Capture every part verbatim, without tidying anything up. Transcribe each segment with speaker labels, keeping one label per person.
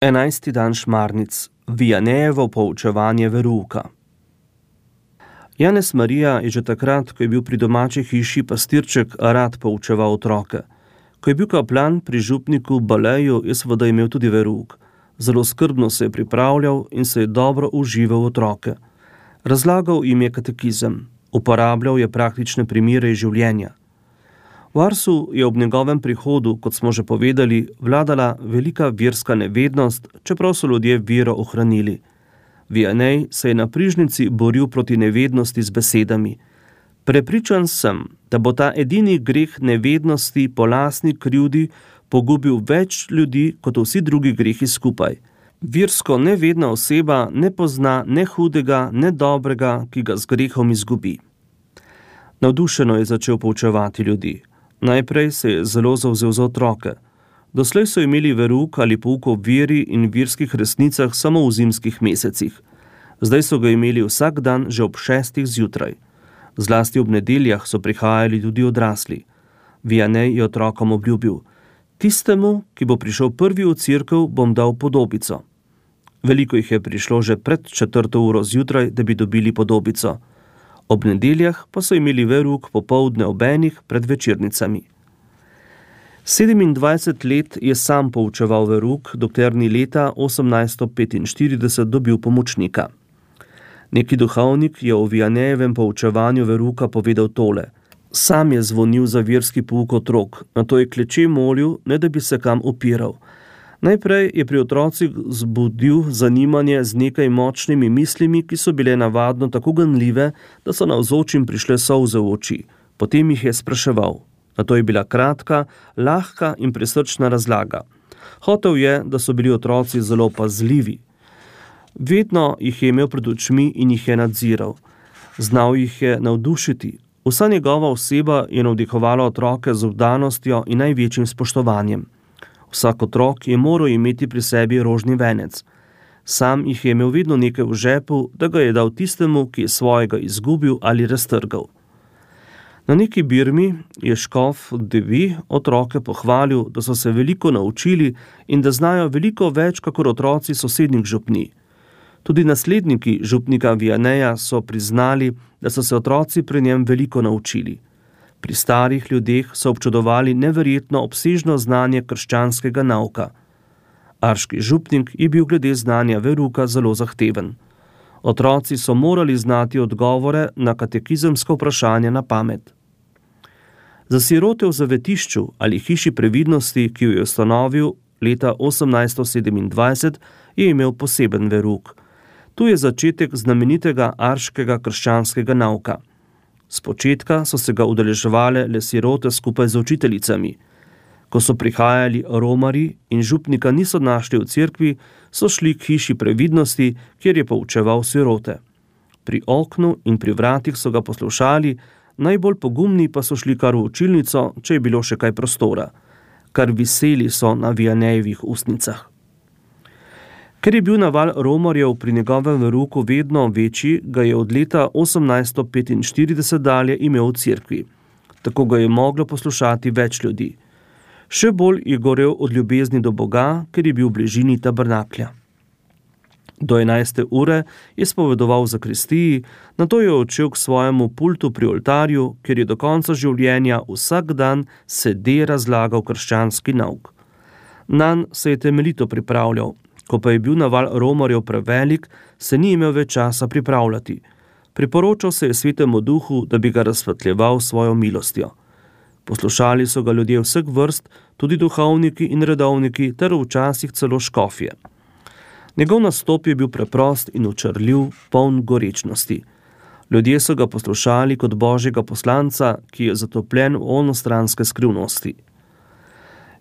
Speaker 1: Enajsti dan šmarnic, Vianejevo poučevanje verouka. Janez Marija je že takrat, ko je bil pri domači hiši pastirček, rad poučeval otroke. Ko je bil kaplan pri župniku Baleju, je seveda imel tudi verouk. Zelo skrbno se je pripravljal in se je dobro užival otroke. Razlagal jim je katekizem, uporabljal je praktične primere iz življenja. V Arsu je ob njegovem prihodu, kot smo že povedali, vladala velika verska nevednost, čeprav so ljudje vero ohranili. Vianej se je na prižnici boril proti nevednosti z besedami. Prepričan sem, da bo ta edini greh nevednosti po lastni krivdi pogubil več ljudi kot vsi drugi grehi skupaj. Versko nevedna oseba ne pozna ne hudega, ne dobrega, ki ga z grehom izgubi. Navdušeno je začel poučevati ljudi. Najprej se je zelo zavzel za otroke. Doslej so imeli verouk ali pouk o veri in verskih resnicah samo v zimskih mesecih. Zdaj so ga imeli vsak dan že ob šestih zjutraj. Zlasti ob nedeljah so prihajali tudi odrasli. Vianej je otrokom obljubil: tistemu, ki bo prišel prvi v cerkev, bom dal podobico. Veliko jih je prišlo že pred četrto uro zjutraj, da bi dobili podobico. Ob nedeljah pa so imeli verouk popoldne ob enih pred večernicami. Sedemindvajset let je sam poučeval verouk, dokler ni leta osemnajststo petinštirideset dobil pomočnika. Neki duhovnik je o Vianejevem poučevanju verouka povedal tole: sam je zvonil za verski pouk otrok, nato je kleče molil, ne da bi se kam opiral. Najprej je pri otrocih zbudil zanimanje z nekaj močnimi mislimi, ki so bile navadno tako ganljive, da so navzočim prišle solze v oči. Potem jih je spraševal. Nato je bila kratka, lahka in prisrčna razlaga. Hotel je, da so bili otroci zelo pazljivi. Vedno jih je imel pred očmi in jih je nadziral. Znal jih je navdušiti. Vsa njegova oseba je navdihovala otroke z vdanostjo in največjim spoštovanjem. Vsak otrok je moral imeti pri sebi rožni venec. Sam jih je imel vedno nekaj v žepu, da ga je dal tistemu, ki je svojega izgubil ali raztrgal. Na neki birmi je škof Devi otroke pohvalil, da so se veliko naučili in da znajo veliko več kakor otroci sosednjih župnij. Tudi nasledniki župnika Vianeja so priznali, da so se otroci pri njem veliko naučili. Pri starih ljudeh so občudovali neverjetno obsežno znanje krščanskega nauka. Arški župnik je bil glede znanja verouka zelo zahteven. Otroci so morali znati odgovore na katekizemska vprašanja na pamet. Za sirote v zavetišču ali hiši previdnosti, ki jo je ustanovil leta osemnajststo sedemindvajset, je imel poseben verouk. Tu je začetek znamenitega arškega krščanskega nauka. Spočetka so se ga udeleževale le sirote skupaj z učiteljicami. Ko so prihajali romarji in župnika niso našli v cerkvi, so šli k hiši previdnosti, kjer je poučeval sirote. Pri oknu in pri vratih so ga poslušali, najbolj pogumni pa so šli kar v učilnico, če je bilo še kaj prostora. Kar viseli so na Vianejevih ustnicah. Ker je bil naval romarjev pri njegovem verouku vedno večji, ga je od leta osemnajststo petinštirideset dalje imel v cerkvi. Tako ga je moglo poslušati več ljudi. Še bolj je gorel od ljubezni do Boga, ker je bil v bližini tabernaklja. Do enajste ure je spovedoval v zakristiji, nato je odšel k svojemu pultu pri oltarju, ker je do konca življenja vsak dan sede razlagal krščanski nauk. Nanj se je temeljito pripravljal. Ko pa je bil naval romarjev prevelik, se ni imel več časa pripravljati. Priporočal se je svetemu duhu, da bi ga razsvetljeval svojo milostjo. Poslušali so ga ljudje vseh vrst, tudi duhovniki in redovniki, ter včasih celo škofje. Njegov nastop je bil preprost in očarljiv, poln gorečnosti. Ljudje so ga poslušali kot božjega poslanca, ki je zatopljen v onostranske skrivnosti.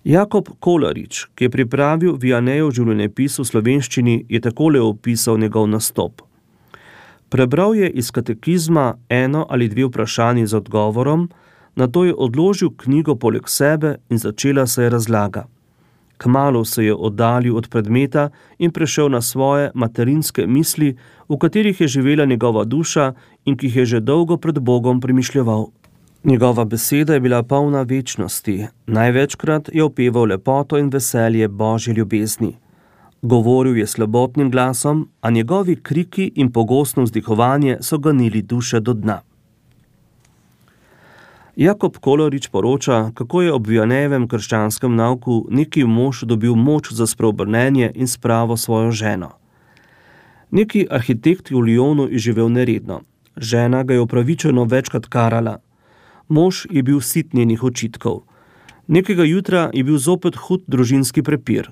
Speaker 1: Jakob Kolarič, ki je pripravil Vianejev življenjepis v slovenščini, je takole opisal njegov nastop. Prebral je iz katekizma eno ali dve vprašanji z odgovorom, nato je odložil knjigo poleg sebe in začela se je razlaga. Kmalu se je oddaljil od predmeta in prešel na svoje materinske misli, v katerih je živela njegova duša in ki jih je že dolgo pred Bogom premišljeval. Njegova beseda je bila polna večnosti, največkrat je opeval lepoto in veselje Božje ljubezni. Govoril je slabotnim glasom, a njegovi kriki in pogostno vzdihovanje so ganili duše do dna. Jakob Kolarič poroča, kako je ob Vianneyjevem krščanskem nauku neki mož dobil moč za spreobrnenje in spravo svojo ženo. Neki arhitekt v Lyonu je živel neredno. Žena ga je upravičeno večkrat karala. Mož je bil sit njenih očitkov. Nekega jutra je bil zopet hud družinski prepir.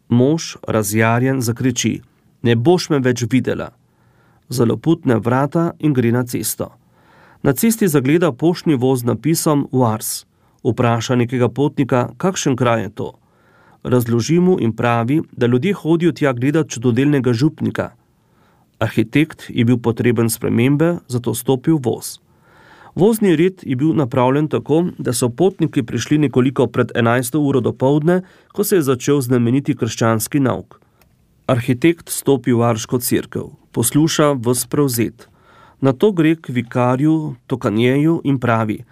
Speaker 1: Mož, razjarjen, zakriči: "Ne boš me več videla." Zaloputne vrata in gre na cesto. Na cesti zagleda poštni voz z napisom Vars. Vpraša nekega potnika, kakšen kraj je to. Razloži mu in pravi, da ljudje hodijo tja gledat čudodelnega župnika. Arhitekt je bil potreben spremembe, zato stopil voz. Vozni red je bil napravljen tako, da so potniki prišli nekoliko pred enajsto uro dopoldne, ko se je začel znameniti krščanski nauk. Arhitekt stopi v varško cerkev, posluša ves prevzet. Nato gre k vikarju Tokanjeju in pravi: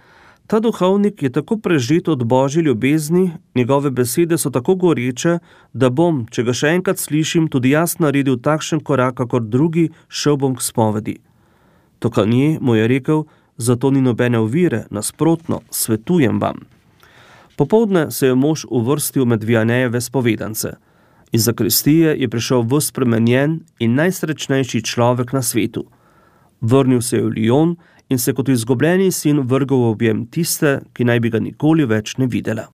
Speaker 1: "Ta duhovnik je tako prežet od božje ljubezni, njegove besede so tako goreče, da bom, če ga še enkrat slišim, tudi jaz naredil takšen korak, kakor drugi, šel bom k spovedi." Tokanje mu je rekel: "Zato ni nobene ovire, nasprotno, svetujem vam." Popoldne se je mož uvrstil med Vianneyjeve spovedance. Iz zakristije je prišel ves spremenjen in najsrečnejši človek na svetu. Vrnil se je v Lyon in se kot izgubljeni sin vrgel v objem tiste, ki naj bi ga nikoli več ne videla.